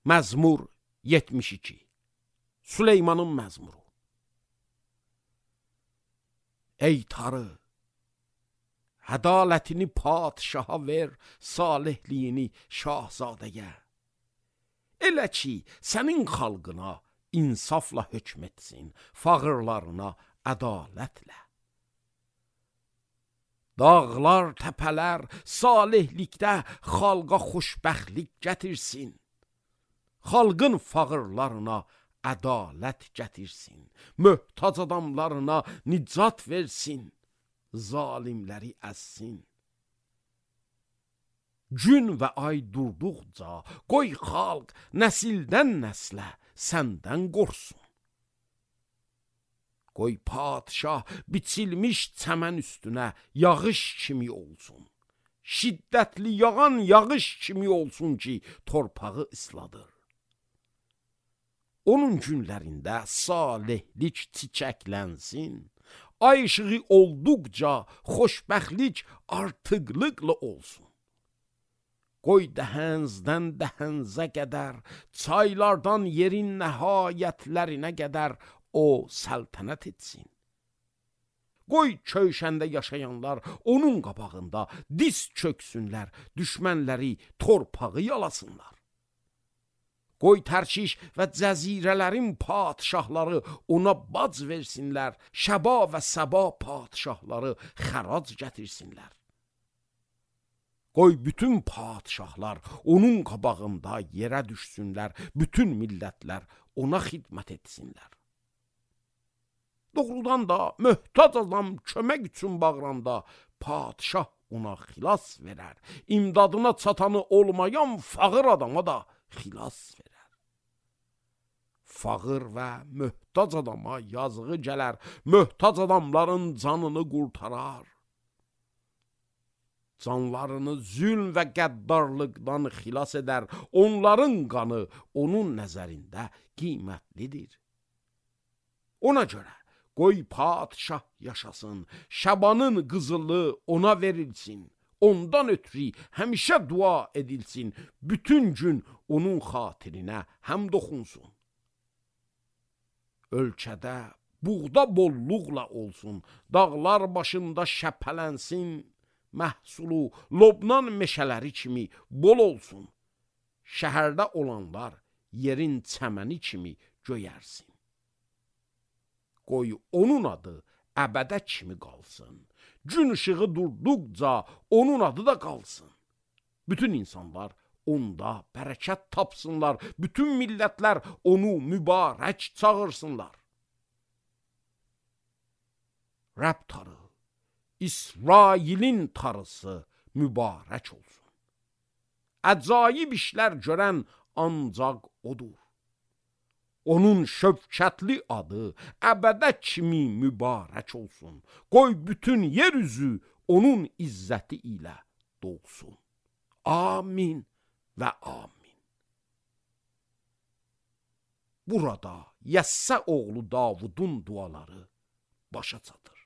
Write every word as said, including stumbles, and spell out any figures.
Məzmur yetmiş iki. Süleymanın məzmuru. Ey tarı, ədalətini padişaha ver, salihliyini şahzadəyə. Elə ki, sənin xalqına insafla hökm etsin, fağırlarına ədalətlə. Dağlar, təpələr salihlikdə xalqa xoşbəxtlik gətirsin. Xalqın fağırlarına ədalət gətirsin. Möhtac adamlarına nicat versin. Zalimləri əzsin. Gün və ay durduqca qoy xalq nəsildən nəslə səndən qorsun. Qoy padişah biçilmiş çəmən üstünə yağış kimi olsun. Şiddətli yağan yağış kimi olsun ki, torpağı isladır. Onun günlərində salihlik çiçəklənsin. Ay işığı olduqca xoşbəxtlik artıqlıqla olsun. Qoy dəhənzdən dəhənzə qədər, çaylardan yerin nəhayətlərinə qədər o səltənət etsin. Qoy köşəndə yaşayanlar onun qabağında diz çöksünlər, düşmənləri torpağı yalasınlar. Qoy Tərkiş və cəzirələrin padişahları ona bac versinlər, Şəba və Səba padişahları xərac gətirsinlər. Qoy bütün padişahlar onun qabağında yerə düşsünlər, bütün millətlər ona xidmət etsinlər. Doğrudan da möhtac adam kömək üçün bağıranda padişah ona xilas verər, imdadına çatanı olmayan fağır adama da xilas verər. Fağır və möhtac adama yazığı gələr, möhtac adamların canını qurtarar. Canlarını zülm və qəddarlıqdan xilas edər, onların qanı onun nəzərində qiymətlidir. Ona görə qoy padişah yaşasın, Şəbanın qızılı ona verilsin, ondan ötürü həmişə dua edilsin, bütün gün onun xatirinə həmd oxunsun. Ölkədə buğda bolluqla olsun, dağlar başında şəpələnsin, məhsulu Lobnan meşələri kimi bol olsun. Şəhərdə olanlar yerin çəməni kimi göyərsin. Qoy onun adı əbədə kimi qalsın. Gün ışığı durduqca onun adı da qalsın. Bütün insanlar onda bərəkət tapsınlar, bütün millətlər onu mübarək çağırsınlar. Rəbb tarı, İsrailin tarısı mübarək olsun. Əcaib işlər görən ancaq odur. Onun şövkətli adı əbədə kimi mübarək olsun. Qoy bütün yer üzü onun izzəti ilə dolsun. Amin və amin. Burada Yəssə oğlu Davudun duaları başa çatır.